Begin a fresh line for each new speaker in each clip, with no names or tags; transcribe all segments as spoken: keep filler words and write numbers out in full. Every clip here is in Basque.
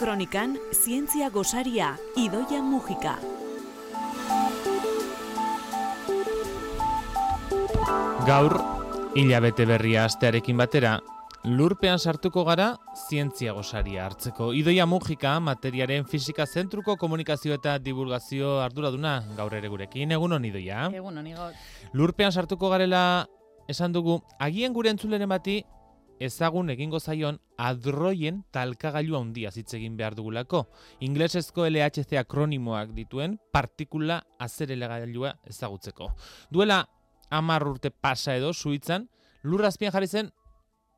Kronikan, zientzia gosaria, Idoia Mujika.
Gaur, hilabete berria astearekin batera, lurpean sartuko gara zientzia gosaria hartzeko. Idoia Mujika, materiaren fisika zentruko komunikazio eta divulgazio arduraduna, gaur ere gurekin. Egunon, Idoia.
Egunon, Igor.
Lurpean sartuko garela esan dugu, agian gure entzuleren bati ezagun egingo zaion hadroien talkagailu handia hitz egin behar dugulako. Inglesezko L H C akronimoak dituen partikula azeleragailua ezagutzeko. Duela hamar urte pasa edo Suitzan, lurrazpian jarri zen,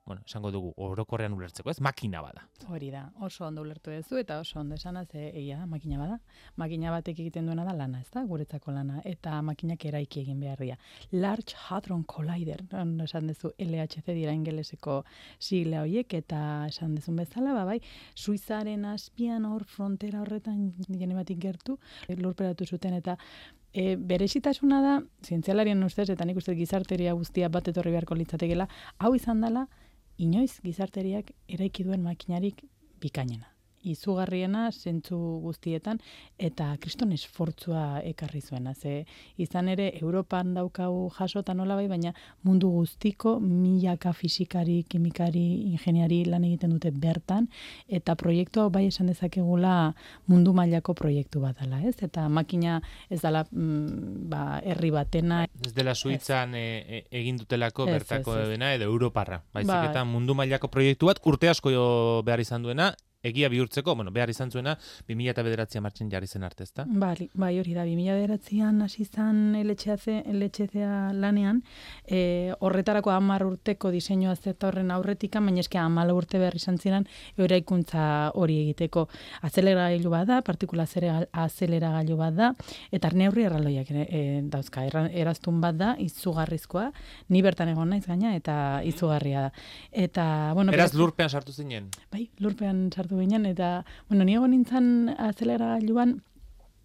bueno, esango dugu, orokorrean ulertzeko, ez? Makina bada.
Hori da, oso ondo ulertu duzu eta oso ondo esana, ze egia da, makina bada. Makina batek egiten duena da lana, ez da, guretzako lana, eta makinak eraiki egin behar dira. Large Hadron Collider, ondo esan duzu L H C dira ingeleseko sigla horiek, eta esan duzun bezala, ba, bai, Suizaren azpian hor frontera horretan jene batik gertu, lurperatu zuten eta E, berezitasuna da, zientzialarien ustez, eta nik uste gizarteria guztia bat etorri beharko litzatekeela, hau izan dela, inoiz gizarteriak eraiki duen makinarik bikainena. Izugarriena, zentzu guztietan, eta kriston esfortzua ekarri zuena. Ze izan ere, Europan daukagu jasotan nola bai, baina mundu guztiko milaka fisikari, kimikari, ingeniari lan egiten dute bertan, eta proiektu hau bai esan dezakegula mundu mailako proiektu bat dela, ez? Eta makina ez dela mm, ba, herri batena.
Ez dela Suitzan e, e, egin dutelako
ez,
bertako
ez, ez.
dena edo Europarra. Baizik
Ba,
eta mundu mailako proiektu bat urte asko behar izan duena, egia bihurtzeko, bueno, behar izan zuena, bi mila bederatzian martxan jarri zen arte, ezta?
Bai, bai, hori da, bi mila bederatzian hasi zen L H C lanean, e, horretarako hamar urteko diseinua zeta horren aurretikan, baina eske hamalau urte behar izan ziren eraikuntza hori egiteko. Azeleragailu bat da, partikula azeleragailu bat da, eta neurri erraldoiak e, dauzka, eraztun bat da, izugarrizkoa, ni bertan egon naiz gaina, eta izugarria da. Eta, bueno,
Eraz lurpean sartu zinen?
Bai, lurpean sartu ginen, eta, bueno, ni egon nintzen azeleragailuan,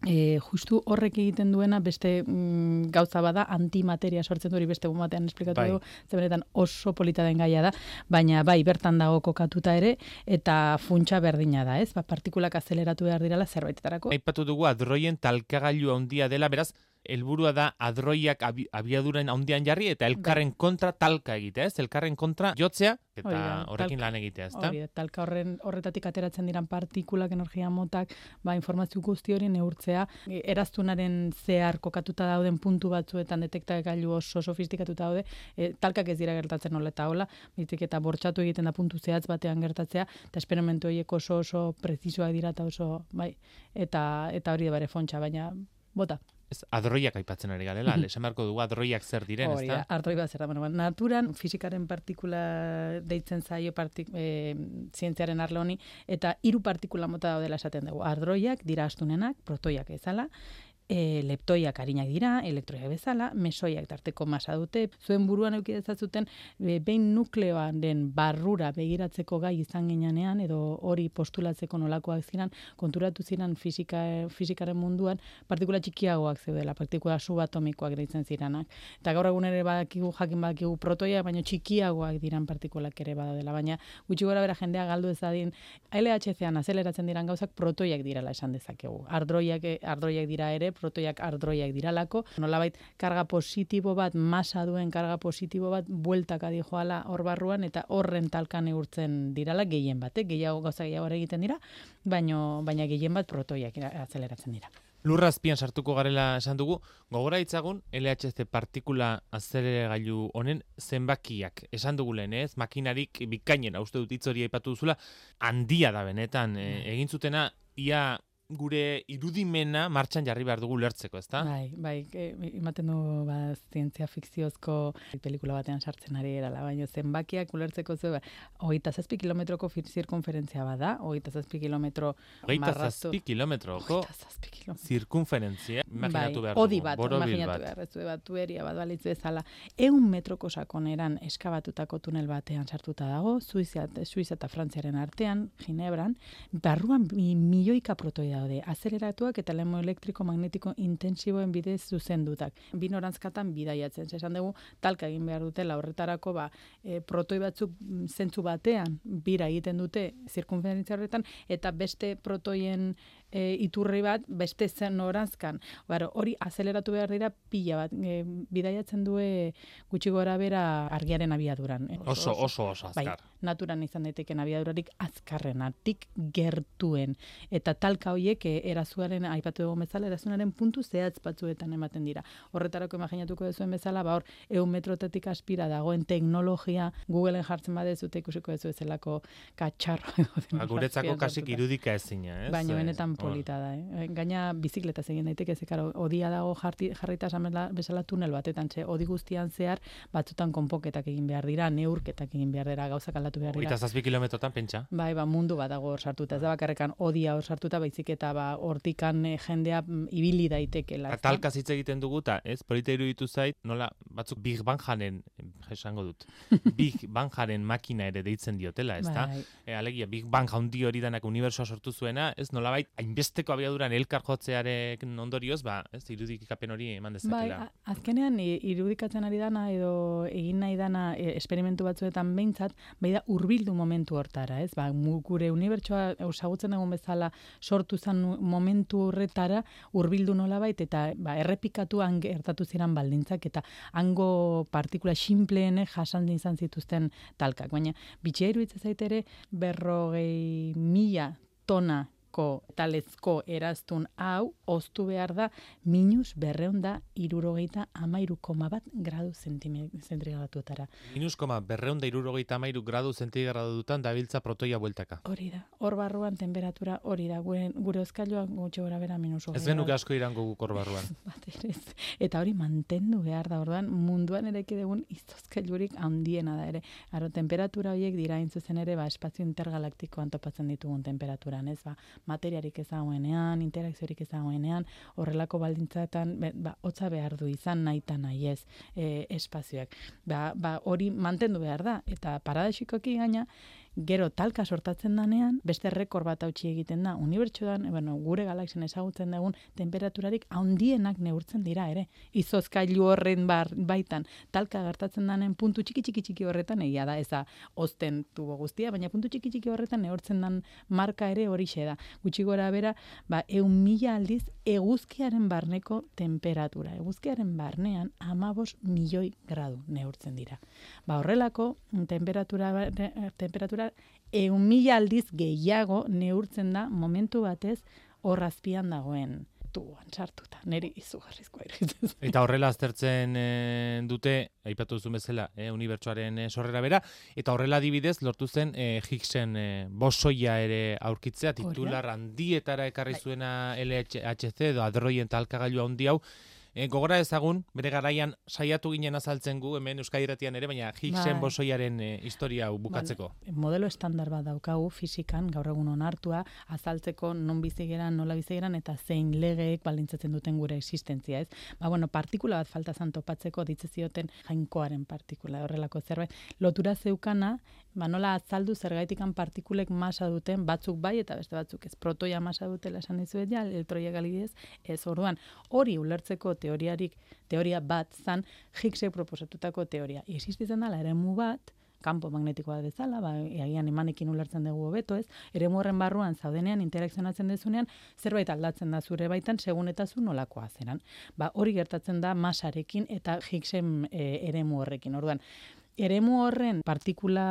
e, justu horrek egiten duena beste mm, gauza bada, antimateria sortzen du hori beste batean esplikatu
bai.
dugu, zebenetan oso polita den gaia da, baina bai, bertan dago kokatuta ere, eta funtsa berdina da, ez? Ba, partikulak azeleratu behar direla zerbaitetarako.
Aipatu dugu hadroien talkagailu handia dela, beraz, helburua da hadroiak abi, abiaduren handian jarri eta elkarren bai. kontra talka egitea, ez? Elkarren kontra jotzea eta
da,
horrekin
talka,
lan egitea, ezta?
Hori da, talka horren horretatik ateratzen diran partikulak, energia motak, ba, informazio guzti hori neurtzea, eraztunaren zehar kokatuta dauden puntu batzuetan detektagailu oso sofistikatuta daude, e, talkak ez dira gertatzen hola eta hola, bizik eta bortxatu egiten da puntu zehatz batean gertatzea, eta esperimentu horiek oso oso prezisoak dira eta oso, bai, eta, eta hori da bare fontxa, baina bota.
Ez, hadroiak aipatzen ari garela, esan beharko dugu hadroiak zer diren,
Hori da,
ezta?
hadroi bat zer da. Bueno, naturan fisikaren partikula deitzen zaio partik, e, zientziaren arlo honi, eta hiru partikula mota daudela esaten dugu. Hadroiak dira astunenak, protoiak ezala, E, leptoiak arinak dira, elektroiak bezala, mesoiak tarteko masa dute. Zuen buruan eduki dezatzuten e, behin nukleoaren barrura begiratzeko gai izan ginean, edo hori postulatzeko nolakoak ziren, konturatu ziren fisika, fisikaren munduan, partikula txikiagoak zeudela, partikula subatomikoak deitzen ziranak. Eta gaur egun ere badakigu, jakin badakigu protoiak, baina txikiagoak diran partikulak ere badaudela. Baina gutxi gora bera jendea galdu ezadin, L H C-an azeleratzen diran gauzak protoiak direla esan dezakegu. Ardroiak, ardroiak dira ere, protoiak ardroiak diralako, nolabait karga positibo bat, masa duen karga positibo bat, bueltaka dijoala hor barruan, eta horren talkan neurtzen dirala gehien bat, eh? gehiago gauza gehiago egiten dira, baino, baina gehien bat protoiak azeleratzen dira.
Lurrazpian sartuko garela esan dugu, gogora hitzagun L H C partikula azeleragailu honen zenbakiak. Esan dugu lehen, ez? Makinarik bikainena, uste dut hitz hori aipatu duzula, handia da benetan, e, egin zutena ia gure irudimena martxan jarri behar dugu lertzeko, ezta?
Bai, bai, e, ematen du ba, zientzia fikziozko pelikula batean sartzen ari erala, baina zenbakiak ulertzeko zu, ba, hogeita zazpi kilometroko zirkunferentzia bada, hogeita zazpi kilometro
hogeita zazpi kilometroko zirkunferentzia, imaginatu behar dugu.
Odi bat, imaginatu behar, ez du bat, tueria bat balitzu bezala, eun metroko sakoneran eskabatutako tunel batean sartuta dago, Suiza, Suiza eta Frantziaren artean, Ginebran, barruan milioika protoi daude, azeleratuak eta lemo elektriko magnetiko intensiboen bidez zuzendutak. Bi norantzkatan bidaiatzen, esan dugu talka egin behar dutela horretarako ba, e, protoi batzuk zentzu batean bira egiten dute zirkunferentzia horretan eta beste protoien e, iturri bat beste zen norantzkan. Baro, hori azeleratu behar dira pila bat, e, bidaiatzen due gutxi gora bera argiaren abiaduran. E,
oso, oso, oso azkar.
Bai, naturan izan daiteken abiadurarik azkarrenatik gertuen. Eta talka horiek e, erazuaren, aipatu dugu bezala, erazunaren puntu zehatz batzuetan ematen dira. Horretarako imaginatuko duzuen bezala, ba hor, eun metrotetik aspira dagoen teknologia Googleen jartzen badezute ikusiko dezu ezelako katxarro.
Ba, guretzako kasik irudika ezina, ez?
Baina benetan polita da, eh? Gaina bizikleta egin daiteke, ze karo, odia dago jarti, jarrita bezala tunel batetan, ze odi guztian zehar batzutan konpoketak egin behar dira, neurketak egin behar dira, gauzak aldatu behar dira.
Eta zazpi kilometrotan pentsa?
Bai, ba, mundu bat dago hor sartuta, ez da bakarrekan odia hor sartuta, baizik eta ba, hortikan eh, jendea mm, ibili daitekela.
Talka hitz egiten dugu eta, ez, polita iruditu zait, nola, batzuk Big Bangaren, esango dut, Big Bangaren makina ere deitzen diotela, ez da?
Bai.
E, alegia, Big Bang handi hori danak unibersoa sortu zuena, ez, nolabait, hainbesteko abiaduran elkar jotzearen ondorioz, ba, ez, irudikapen hori eman dezakela.
Bai, azkenean irudikatzen ari dana edo egin nahi dana e, esperimentu batzuetan behintzat, bai da hurbildu momentu hortara, ez? Ba, gure unibertsoa ezagutzen dugun bezala sortu zen momentu horretara hurbildu nolabait eta ba, errepikatuan gertatu ziren baldintzak eta hango partikula xinpleenek jasan izan zituzten talkak. Baina bitxia iruditzen zait ere berrogei mila tona talezko eraztun hau oztu behar da minus berreun da irurogeita amairu koma bat gradu zentrigratuetara.
Minus koma berreun da irurogeita amairu gradu zentrigradutan dabiltza protoia bueltaka.
Hori da, hor barruan temperatura hori da, gure, gure euskailua gutxi gora bera minus hogei.
Ez genuke asko irango guk hor barruan.
Eta hori mantendu behar da, orduan munduan ere ekidegun izozkailurik handiena da ere. Aro, temperatura horiek dira intzuzen ere, ba, espazio intergalaktikoan topatzen ditugun temperaturan, ez ba, materiarik ez dagoenean, interakziorik ez dagoenean, horrelako baldintzatan, ba, hotza behar du izan nahi eta nahi ez e, espazioak. Ba, ba, hori mantendu behar da, eta paradexikoki gaina, gero talka sortatzen danean, beste rekord bat hautsi egiten da, unibertsuan, bueno, gure galaxien ezagutzen dugun temperaturarik handienak neurtzen dira ere. Izozkailu horren bar, baitan, talka gertatzen danen puntu txiki txiki txiki horretan, egia da, eza ozten tubo guztia, baina puntu txiki txiki horretan neurtzen dan marka ere horixe da. Gutxi gora bera, ba, eun mila aldiz eguzkiaren barneko temperatura. Eguzkiaren barnean amabos milioi gradu neurtzen dira. Ba, horrelako temperatura, temperatura eun mila aldiz gehiago neurtzen da momentu batez horrazpian dagoen tuan sartuta. Neri izugarrizkoa iruditzen.
Eta horrela aztertzen e, dute, aipatu duzu bezala, e, unibertsoaren e, sorrera bera, eta horrela adibidez lortu zen e, Higgsen e, bosoia ere aurkitzea, titular handietara ekarri zuena L H C edo hadroien talkagailua handi hau. E, gogora ezagun, bere garaian saiatu ginen azaltzen gu, hemen Euskadi Irratian ere, baina Higgsen bosoiaren e, historia hau bukatzeko.
Ba, modelo estandar bat daukagu fizikan, gaur egun onartua, azaltzeko non bizigeran, nola bizigeran, eta zein legeek baldintzatzen duten gure existentzia, ez? Ba, bueno, partikula bat falta zan topatzeko, ditze zioten jainkoaren partikula, horrelako zerbait. Lotura zeukana, ba, nola azaldu zergaitikan partikulek masa duten, batzuk bai eta beste batzuk ez. Protoia masa dutela esan dizuet ja, elektroia galidez, ez orduan. Hori ulertzeko teoriarik, teoria bat zan, Higgsek proposatutako teoria. Existitzen dela eremu bat, kanpo magnetikoa bezala, ba, egian emanekin ulertzen dugu hobeto ez, eremu horren barruan zaudenean, interakzionatzen dezunean, zerbait aldatzen da zure baitan, segun eta zu nolakoa zeran. Ba, hori gertatzen da masarekin eta Higgsen e, eremu horrekin. Orduan, eremu horren partikula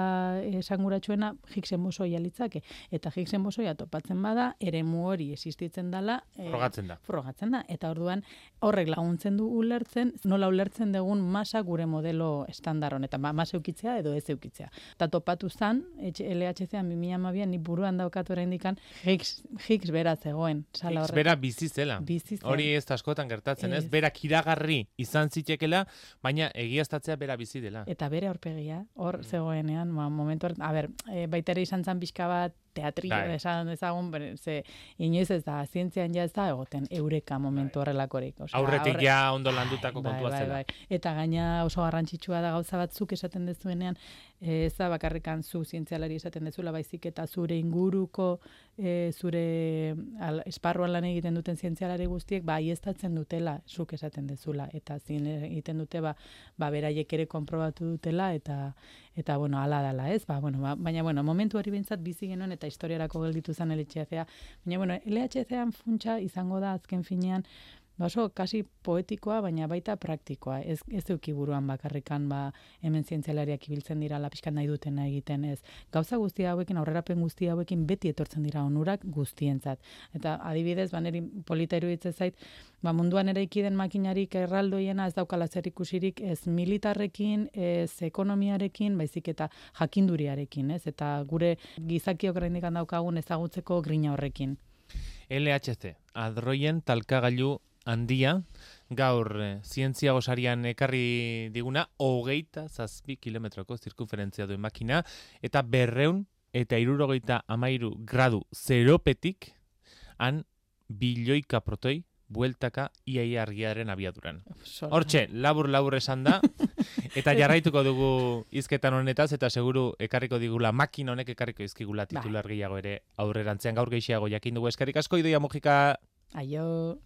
esanguratsuena Higgsen bosoia litzake, eta Higgsen bosoia topatzen bada, eremu hori existitzen dela, e,
frogatzen da.
Frogatzen da, eta orduan horrek laguntzen du ulertzen, nola ulertzen dugun masa gure modelo estandar honetan, ba, masa eukitzea edo ez eukitzea. Eta topatu zan, L H C-an bi mila hamabian, ni buruan daukatu oraindikan Higgs, Higgs bera zegoen.
Higgs bera bizi zela. Hori ez askotan gertatzen, ez? ez? Bera kiragarri izan zitekela, baina egiaztatzea bera bizi dela.
Eta bere aurpegia, hor zegoenean, ba, momentu hor, a ber, e, baita ere izan zan pixka bat teatrillo,
Bai.
esan ezagun, bere, ze inoiz ez da, zientzian ja ez da egoten eureka momentu horrelakorik. Osea,
Aurretik
aurre-
ja ondo landutako
Bai,
kontua
bai,
zela.
bai. Eta gaina oso garrantzitsua da gauza batzuk esaten dezuenean, ez da bakarrikan zu zientzialari esaten dezula, baizik eta zure inguruko, e, zure al, esparruan lan egiten duten zientzialari guztiek, ba, aiestatzen dutela, zuk esaten dezula, eta zin egiten dute, ba, ba beraiek ere konprobatu dutela, eta, eta bueno, ala dala, ez? Ba, bueno, ba, baina, bueno, momentu hori behintzat bizi genuen, eta historiarako gelditu zen L H C A. Baina, bueno, L H C A funtsa izango da azken finean, ba oso kasi poetikoa, baina baita praktikoa. Ez, ez duki buruan bakarrikan, ba, hemen zientzialariak ibiltzen dira, pixkat nahi dutena egiten ez. Gauza guztia hauekin, aurrerapen guztia hauekin beti etortzen dira onurak guztientzat. Eta adibidez, ba, niri polita iruditzen zait, ba, munduan eraiki den makinarik erraldoiena ez daukala zer ikusirik ez militarrekin, ez ekonomiarekin, baizik eta jakinduriarekin, ez? Eta gure gizakiok oraindik daukagun ezagutzeko grina horrekin.
L H C, hadroien talkagailu handia, gaur eh, zientzia gosarian ekarri diguna, hogeita zazpi kilometroko zirkunferentzia duen makina, eta berreun eta hirurogeita hamairu gradu zeropetik, han bilioika protoi, bueltaka iaia argiaren abiaduran. Hortxe, labur-labur esan da, eta jarraituko dugu hizketan honetaz, eta seguru ekarriko digula, makina honek ekarriko izkigula titular gehiago ere aurrerantzean gaur gehiago jakin dugu eskerrik asko, Idoia Mujika.
Aio.